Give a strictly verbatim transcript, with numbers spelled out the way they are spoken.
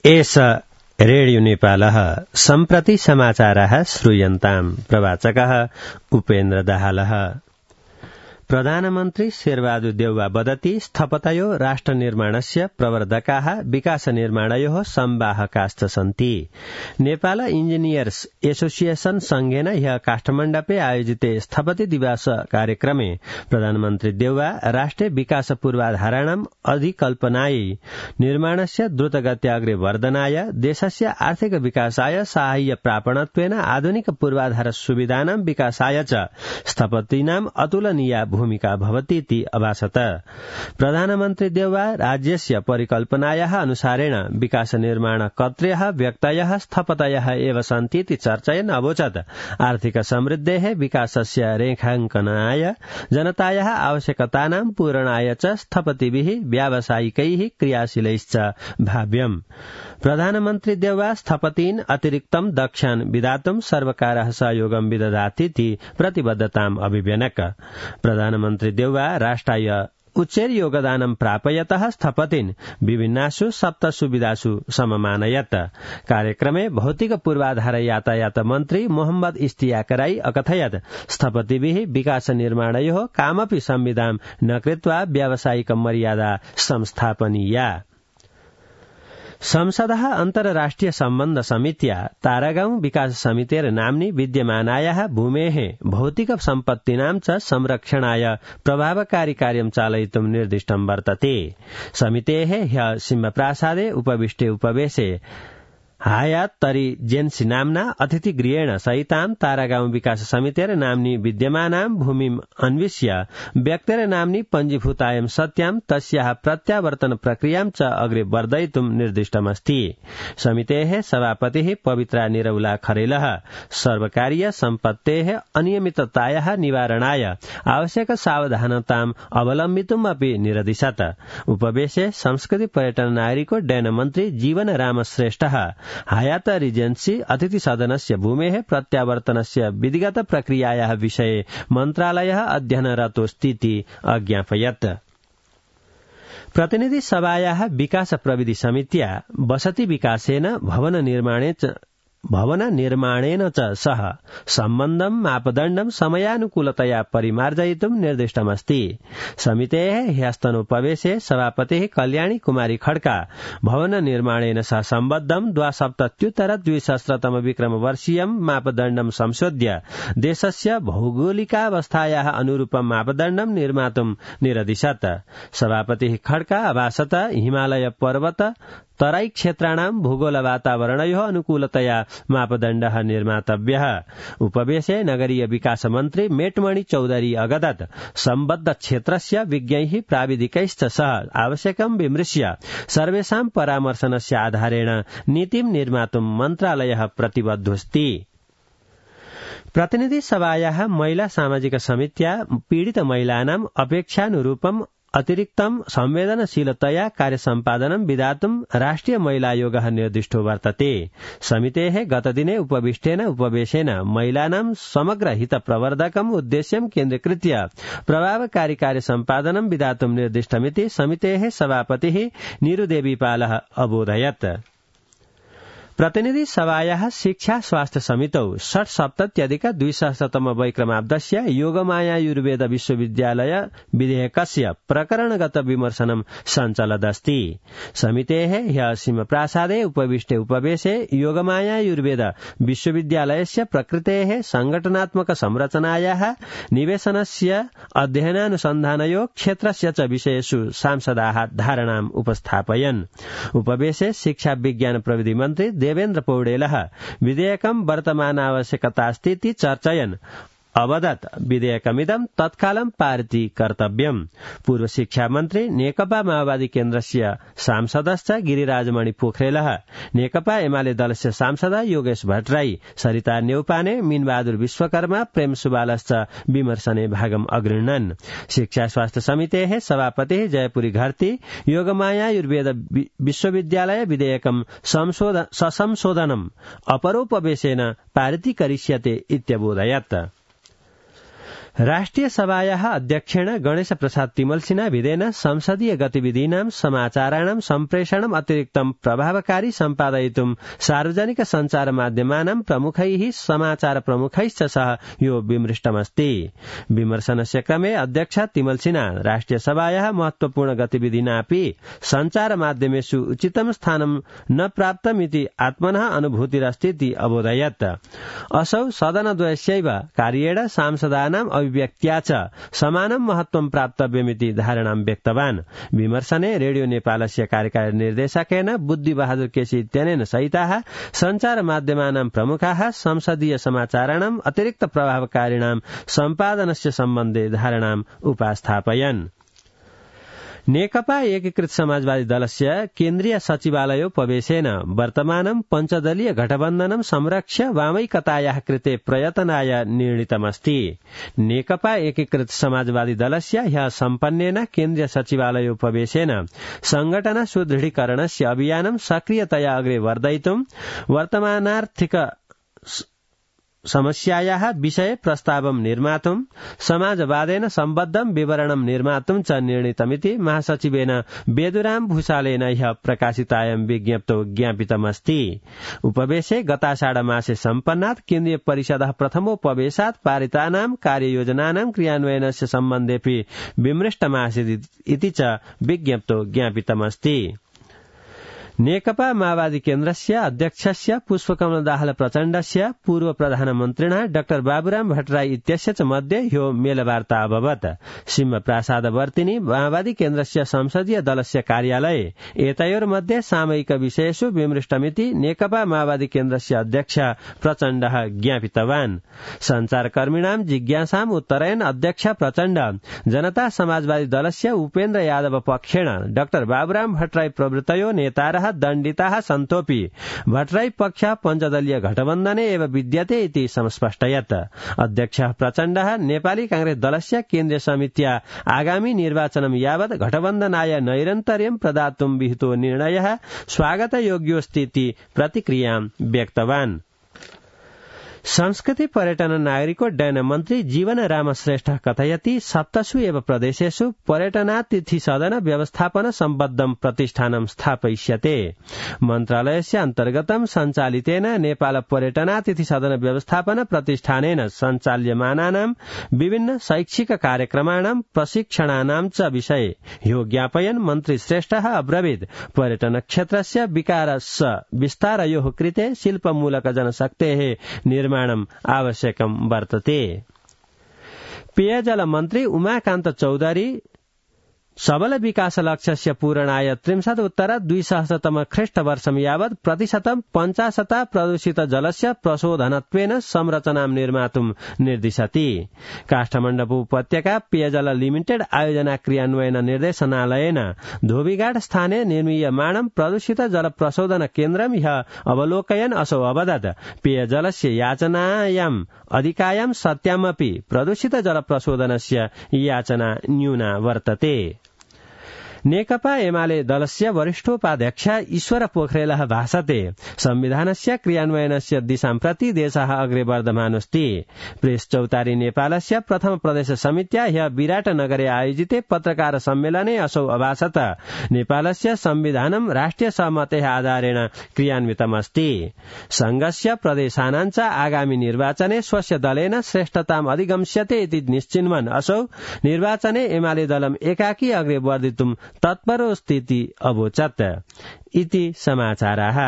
एष रेडियो नेपालः सम्प्रति समाचारः श्रूयन्ताम्। प्रवाचकः उपेन्द्र दाहालः। प्रधानमन्त्री शेरबहादुर देउवा वदति स्थपतयो राष्ट्र निर्माणस्य प्रवर्धकाः विकास निर्माणयोः संवाहकाश्च सन्ति। नेपाल इञ्जिनियर्स एसोसिएशन संघेन ह्यः काठमाण्डपे आयोजिते स्थपति दिवस कार्यक्रमे प्रधानमन्त्री देउवा राष्ट्रिय विकास पूर्वाधाराणाम् अधिकल्पनायै निर्माणस्य द्रुतगत्या अग्रे वर्धनाय देशस्य आर्थिक विकासाय साहाय्य प्रापणत्वेन आधुनिक पूर्वाधार सुविधानां विकासाय च स्थपतीनाम् अतुलनीया भूमिका भवतीति अभासत। प्रधानमन्त्री देउवा राज्यस्य परिकल्पनायाः अनुसारेण विकास निर्माण कर्तृयः व्यक्तयः स्थपतयः एव सन्तीति चर्चयन् अवोचत् आर्थिक समृद्धेः विकासस्य रेखाङ्कनाय जनतायाः आवश्यकतानां पूरणाय च स्थपतिभिः व्यावसायिकैः क्रियाशीलैश्च भाव्यम्। प्रधानमन्त्री देउवा स्थपतीन् अतिरिक्तं दक्षान् विधातुं सर्वकारः सहयोगं विदधातीति प्रतिबद्धताम् अभिव्यनक। प्रधानमन्त्री देउवा राष्ट्राय उच्चैर योगदानं प्रापयतः स्थपतिन् विभिन्नासु सप्त सुविधासु सममानयत्। कार्यक्रमे भौतिक पूर्वाधार यातायात मन्त्री मोहम्मद इस्तियाक राई अकथयत् स्थपतिभिः विकास निर्माणयोः कामपि संविधान न कृत्वा व्यावसायिक मर्यादा संस्थापनीया। संसदः अन्तर्राष्ट्रिय सम्बन्ध समित्या तारागाउँ विकास समितेर नाम्नि विद्यमानायाः भूमेः भौतिक सम्पत्तीनां च संरक्षणाय प्रभावकारी कार्यं चालयितुं निर्दिष्टं वर्तते। समितेः ह्यः सिंहप्रासादे उपविष्टे उपवेशे हायात तरी जेन्सी नाम्ना अतिथिगृहेण सहितां तारागाउँ विकास समितेर नाम्नि विद्यमानां भूमिम् अन्विष्य व्यक्तेर नाम्नि पञ्जीभूतायं सत्यां तस्याः प्रत्यावर्तन प्रक्रियां च अग्रे वर्धयितुं निर्दिष्टमस्ति। समितेः सभापतिः पवित्रा निरौला खरेलः सर्वकारीय सम्पत्तेः अनियमिततायाः निवारणाय आवश्यक सावधानताम् अवलम्बितुम् अपि निरदिशत्। उपवेशे संस्कृति पर्यटन नागरिको उड्डयन मन्त्री जीवन राम श्रेष्ठः हायात रिजेन्सी अतिथि सदनस्य भूमेः प्रत्यावर्तनस्य विधिगत प्रक्रियायाः विषये मन्त्रालयः अध्ययनरतोऽस्तीति अज्ञापयत्। प्रतिनिधि सभायाः विकास प्रविधि समित्या वसति विकासेन भवन निर्माणे च भवन निर्माणेन च सह सम्बन्धं मापदण्डं समयानुकूलतया परिमार्जयितुं निर्दिष्टमस्ति। समितेः ह्यस्तनोपवेशे सभापतिः कल्याणी कुमारी खड्का भवन निर्माणेन सह सम्बद्धं द्वासप्तत्युत्तर द्विसहस्रतम विक्रमवर्षीयं मापदण्डं संशोध्य देशस्य भौगोलिकावस्थायाः अनुरूपं मापदण्डं निर्मातुं निरदिशत्। सभापतिः खड्का अभासत हिमालय पर्वत तराई क्षेत्राणां भूगोल वातावरणयोः अनुकूलतया मापदण्डः निर्मातव्यः। उपवेशे नगरीय विकास मन्त्री मेटमणि चौधरी अगदत् सम्बद्ध क्षेत्रस्य विज्ञैः प्राविधिकैश्च सह आवश्यकं विमृश्य सर्वेषां परामर्शनस्य आधारेण नीतिं निर्मातुं मन्त्रालयः प्रतिबद्धोऽस्ति। प्रतिनिधि सभायाः महिला सामाजिक समित्या पीडित महिलानाम् अपेक्षानुरूपम् अतिरिक्तं संवेदनशीलतया कार्यसम्पादनं विधातुं राष्ट्रिय महिला आयोगः निर्दिष्टो वर्तते। समितेः गतदिने उपविष्टेन उपवेशेन महिलानां समग्र हित प्रवर्धकम् उद्देश्यं केन्द्रीकृत्य प्रभावकारी कार्यसम्पादनं विधातुं निर्दिष्टमिति समितेः सभापतिः नीरुदेवीपालः अबोधयत्। प्रतिनिधि सभायाः शिक्षा स्वास्थ्य समितौ षट्सप्तत्यधिक द्विसहस्रतम वैक्रमाब्दस्य योगमायायुर्वेद विश्वविद्यालय विधेयकस्य प्रकरणगत विमर्शनं सञ्चलदस्ति। समितेः ह्यः सिंहप्रासादे उपविष्टे उपवेशे योगमायायुर्वेद विश्वविद्यालयस्य प्रकृतेः संघटनात्मक संरचनायाः निवेशनस्य अध्ययनानुसन्धानयोः क्षेत्रस्य च विषयेषु सांसदाः धारणाम् उपस्थापयन्। उपवेशे शिक्षा विज्ञान प्रविधि मन्त्री देवेन्द्र पौडेलः विधेयकं वर्तमानावश्यकतास्तीति चर्चयन् अवदत् विधेयकमिदं तत्कालं पारितीकर्तव्यम्। पूर्व शिक्षा मन्त्री नेकपा माओवादी केन्द्रस्य सांसदश्च गिरिराजमणि पोखरेलः नेकपा एमाले दलस्य सांसद योगेश भट्टराई सरिता न्यौपाने मीनबहादुर विश्वकर्मा प्रेम सुबालश्च विमर्शने भागम् अगृह्णन्। शिक्षा स्वास्थ्य समितेः सभापतिः जयपुरी घर्ती योगमायायुर्वेद विश्वविद्यालय विधेयकं ससंशोधनम् अपरोपवेशेन पारितीकरिष्यते इत्यबोधयत्। राष्ट्रिय सभायाः अध्यक्षेण गणेश प्रसाद तिमल्सिना विधेन संसदीय गतिविधीनां समाचाराणां सम्प्रेषणम् अतिरिक्तं प्रभावकारी सम्पादयितुं सार्वजनिक सञ्चार माध्यमानां प्रमुखैः समाचार प्रमुखैश्च सह यो विमृष्टमस्ति। विमर्शनस्य क्रमे अध्यक्ष तिमल्सिना राष्ट्रिय सभायाः महत्वपूर्ण गतिविधिनापि सञ्चार माध्यमेषु उचितं स्थानं न प्राप्तमिति आत्मनः अनुभूतिरस्तीति अबोधयत्। असौ सदनद्वयस्यैव कार्येण सांसदानां अभिव्यक्त्या च समानं महत्वं प्राप्तव्यमिति धारणां व्यक्तवान्। विमर्शने रेडियो नेपालस्य कार्यकारी निर्देशकेन बुद्धि बहादुर केसी इत्यनेन सहिताः सञ्चार माध्यमानां प्रमुखाः संसदीय समाचाराणाम् अतिरिक्त प्रभावकारिणां सम्पादनस्य सम्बन्धे धारणाम् उपास्थापयन्। नेकपा एकीकृत समाजवादी दलस्य केन्द्रीय सचिवालयोपवेशेन वर्तमानं पञ्चदलीय गठबन्धनं संरक्ष्य वामैकतायाः कृते प्रयतनाय निर्णीतमस्ति। नेकपा एकीकृत समाजवादी दलस्य ह्यः सम्पन्नेन केन्द्रीय सचिवालयोपवेशेन संघटन सुदृढीकरणस्य अभियानं सक्रियतया अग्रे वर्धयितुं वर्तमानार्थिक समस्यायाः विषये प्रस्तावं निर्मातुं समाजवादेन सम्बद्धं विवरणं निर्मातुं च निर्णीतमिति महासचिवेन बेदुराम भूषालेन ह्यः प्रकाशितायां विज्ञप्तौ ज्ञापितमस्ति। उपवेशे गताषाढमासे सम्पन्नात् केन्द्रीय परिषदः प्रथमोपवेशात् पारितानां कार्ययोजनानां क्रियान्वयनस्य सम्बन्धेऽपि विमृष्टमासीत् इति च विज्ञप्तौ ज्ञापितमस्ति। नेकपा माओवादी केन्द्रस्य अध्यक्षस्य पुष्पकमल दाहाल प्रचण्डस्य पूर्व प्रधानमन्त्रिणः डाक्टर बाबुराम भट्टराई इत्यस्य च मध्ये ह्यो मेलवार्ता अभवत्। सिंह प्रासादवर्तिनी माओवादी केन्द्रस्य संसदीय दलस्य कार्यालये एतयोर्मध्ये सामयिक विषयेषु विमृष्टमिति नेकपा माओवादी केन्द्रस्य अध्यक्ष प्रचण्डः ज्ञापितवान्। सञ्चारकर्मिणां जिज्ञासाम् उत्तरयन् अध्यक्ष प्रचण्ड जनता समाजवादी दलस्य उपेन्द्र यादव पक्षेण डाक्टर बाबुराम भट्टराई प्रभृतयो नेतारः दण्डिताः सन्तोऽपि भट्टराई पक्ष पञ्चदलीय गठबन्धने एव विद्यते इति संस्पष्टयत्। अध्यक्षः प्रचण्डः नेपाली कांग्रेस दलस्य केन्द्रीय समित्या आगामी निर्वाचनं यावत् गठबन्धनाय नैरन्तर्यं प्रदातुं विहितो निर्णयः स्वागतयोग्योऽस्ति इति प्रतिक्रियां व्यक्तवान्। संस्कृति पर्यटन नागरिकोड्डयन मन्त्री जीवन राम श्रेष्ठ कथयति सप्तसु एव प्रदेशेषु पर्यटनातिथि सदन व्यवस्थापन सम्बद्धं प्रतिष्ठानं स्थापयिष्यते। मन्त्रालयस्य अन्तर्गतं सञ्चालितेन नेपाल पर्यटनातिथि सदन व्यवस्थापन प्रतिष्ठानेन सञ्चाल्यमानानां विभिन्न शैक्षिक कार्यक्रमाणां प्रशिक्षणानां च विषये ह्यो ज्ञापयन् मन्त्री श्रेष्ठः अब्रवीत् पर्यटन क्षेत्रस्य विकास विस्तारयोः कृते शिल्पमूलक जनशक्तेः निर्माणम् आवश्यकं वर्तते। पेयजल मन्त्री उमाकान्त चौधरी सबल विकास लक्ष्यस्य पूरणाय त्रिंशत् उत्तर द्विसहस्रतम ख्रीष्टवर्षं यावत् प्रतिशतं पञ्चाशत प्रदूषित जलस्य प्रशोधनत्वेन संरचनां निर्मातुं निर्दिशति। काष्ठमण्डप उपत्यका पेयजल लिमिटेड आयोजना क्रियान्वयन निर्देशनालयेन धोबीघाट स्थाने निर्मीयमाणं प्रदूषित जल प्रशोधन केन्द्रं ह्यः अवलोकयन् असौ अवदत् पेयजलस्य याचनायाम् अधिकायां सत्यामपि प्रदूषित जल प्रशोधनस्य याचना न्यूना वर्तते। नेकपा एमाले दलस्य वरिष्ठोपाध्यक्ष ईश्वर पोखरेलः भाषते संविधानस्य क्रियान्वयनस्य दिशां प्रति देशः अग्रे वर्धमानोऽस्ति। प्रेस चौतारी नेपालस्य प्रथम प्रदेश समित्या ह्यः विराटनगरे आयोजिते पत्रकार सम्मेलने असौ अभाषत नेपालस्य संविधानं राष्ट्रिय सहमतेः आधारेण क्रियान्वितमस्ति। संघस्य प्रदेशानां च आगामी निर्वाचने स्वस्य दलेन श्रेष्ठताम् अधिगम्स्यते इति निश्चिन्वन् असौ निर्वाचने एमाले दलम् एकाकी अग्रे वर्धितुं तत्परोऽस्ति इति अवोचत्। इति समाचाराः।